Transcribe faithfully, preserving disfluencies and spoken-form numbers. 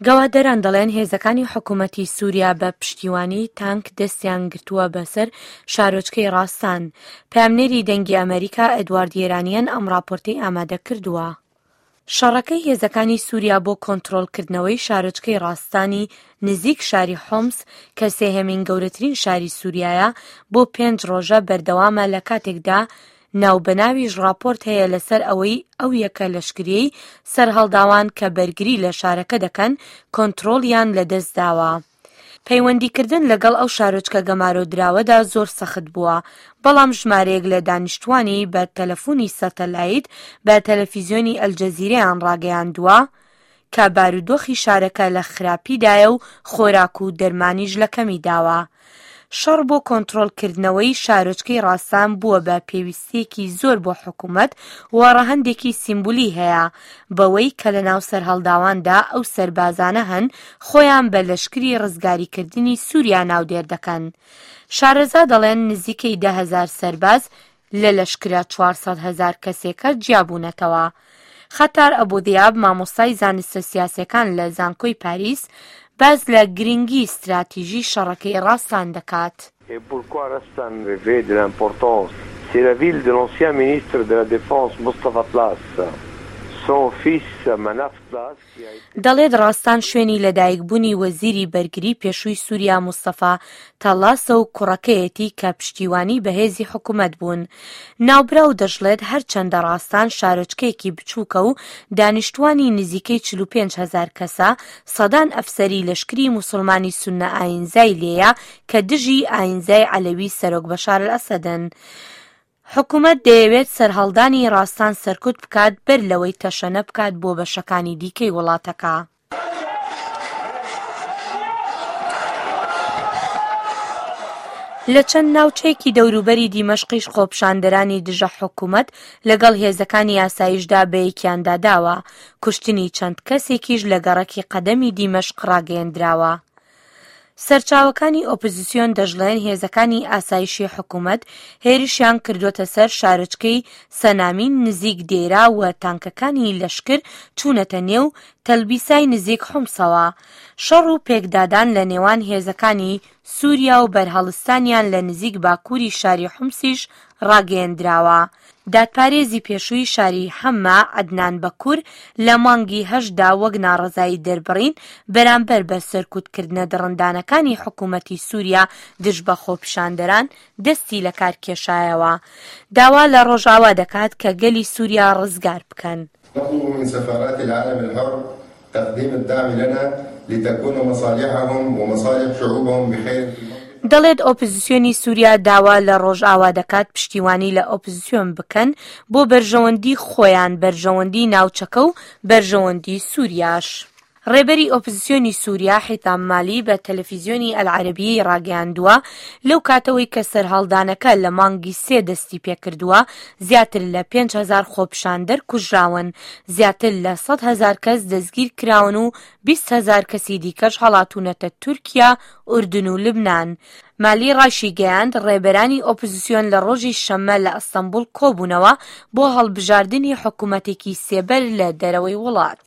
گەواهدەران دەڵێن هێزەکانی حکومەتی سوریا بە پشتیوانی تانک دەستیان گرتووە بەسەر شارۆچکەی ڕاستان. پەیامنێری دەنگی ئەمەریکا ئێدوارد یێرانیان ئەم ڕاپۆرتەی ئامادە کردووە. شەڕەکەی هێزەکانی سوریا بۆ کۆنترۆڵکردنەوەی شارۆچکەی ڕاستانی نزیک شاری حۆمس کە سێهەمین گەورەترین شاری سوریایە بۆ پێنج ڕۆژە بەردەوامە، لە کاتێکدا ناوبەناویش ڕاپۆرت هەیە لەسەر ئەوەی ئەو یەکە لەشکریەی سەرهەڵداوان کە بەرگری لە شارەکە دەکەن کۆنترۆڵیان لەدەستداوە. پەیوەندیکردن لەگەڵ ئەو شارۆچکە گەمارۆدراوەدا زۆر سەخت بووە، بەڵام ژمارەیەک لە دانیشتوانی بە تەلەفۆنی سەتەلایت بە تەلەفیزیۆنی ئەلجەزیرەیان ڕاگەیاندووە کە بارودۆخی شارەکە لە خراپیدایە و خۆراک و دەرمانیش لە کەمی داوە. شەڕ بۆ کۆنترۆڵکردنەوەی شارۆچکەی ڕاستان بووە بە پێویستیەکی زۆر بۆ حکوومەت و ڕەهەندێکی سیمبولی هەیە، بەوەی کە لە ناو سەرهەڵداواندا ئەو سەربازانە هەن خۆیان بە لەشکری ڕزگاریکردنی سووریا ناودێر دەکەن. شارەزا دەڵێن نزیکەی دە هەزار سەرباز لە لەشکرە چوار سەد هەزار کەسێکە جیابوونەتەوە. خەتار ئەبوذیاب مامۆستای زانستە سیاسەکان لە زانکۆی پاریس باس لە گرنگی ستراتیژی شەڕەکەی ڕاستان دەکات. Et pourquoi Rastan revêt de l'importance? C'est la ville de l'ancien ministre de la Défense Moustapha Tlass. Son fils Manaf Tlass qui a été دەڵێت ڕاستان شوێنی لەدایکبوونی وەزیری بەرگری پێشووی سووریا مستەفا تەڵاسە و کوڕەکەیەتی کە پشتیوانی بەهێزی حکوومەت بوون. ناوبراو دەشڵێت هەرچەندە ڕاستان شارۆچکەیەکی بچووکە و دانیشتوانی نزیکەی چل و پێنج هەزار کەسە، سەدان ئەفسەری لەشکری موسڵمانی سوننە ئاینزای لێیە کە دژی ئاینزای عەلەوی سەرۆک بەشار ئەسەدن. حکوومەت دەیەوێت سەرهەڵدانی ڕاستان سەرکوت بکات بەر لەوەی تەشەنە بکات بۆ بەشەکانی دیکەی وڵاتەکە. لە چەند ناوچەیەکی دەوروبەری دیمەشقیش خۆپیشاندەرانی دژە حکوومەت لەگەڵ هێزەکانی ئاسایشدا بەیەکیاندا داوە. کوشتنی چەند کەسێکیش لە گەڕەکی قەدەمی دیمەشق ڕاگەیەندراوە. سەرچاوەکانی ئۆپۆزیسیۆن دەشڵێن هێزەکانی ئاسایشی حکوومەت هێرشیان کردووەتە سەر شارۆچکەی سەنامین نزیک دێرا و تانکەکانی لەشکر چوونەتە نێو تەلبیسای نزیک حومسەوە. شەڕ و پێکدادان لە نێوان هێزەکانی سووریا و بەرهەڵستانیان لە نزیک باکووری شاری حومسیش ڕاگەیەندراوە. دادپارێزی پێشووی شاری حەمە عەدنان بەکور لە مانگی هەشتدا وەک ناڕەزایی دەربڕین بەرامبەر بە سەرکوتکردنە دڕندانەکانی حکوومەتی سووریا دژ بە خۆپیشاندەران دەستی لە کار کێشایەوە. داوا لە ڕۆژاوا دەکات کە گەلی سووریا ڕزگار بکەن. نطلب من سفارات العالم الحر تقديم الدعم لنا لتكون مصالحهم ومصالح شعوبهم بخير. دەڵێت ئۆپۆزیسیۆنی سووریا داوا لە ڕۆژاوا دەکات پشتیوانی لە ئۆپۆزیسیۆن بکەن بۆ بەرژەوەندی خۆیان، بەرژەوەندی ناوچەکە و بەرژەوەندی سووریاش. ڕێبەری ئۆپۆزیسیۆنی سووریا حیتام مالی بە تەلەفیزیۆنی ئەلعەرەبیەی ڕاگەیاندووە لەو کاتەوەی کە سەرهەڵدانەکە لە مانگی سێ دەستی پێکردووە زیاتر لە پێنج هەزار خۆپیشاندەر کوژراون، زیاتر لە سەد هەزار کەس دەستگیر کراون و بیست هەزار کەسی دیکەش هەڵاتوونەتە تورکیا، ئوردن و لبنان. مالی ڕاشی گەیاند ڕێبەرانی ئۆپۆزیسیۆن لە ڕۆژی شەممە لە ئەستەنبوڵ کۆبوونەوە بۆ هەڵبژاردنی حکوومەتێکی سێبەر لە دەرەوەی وڵات.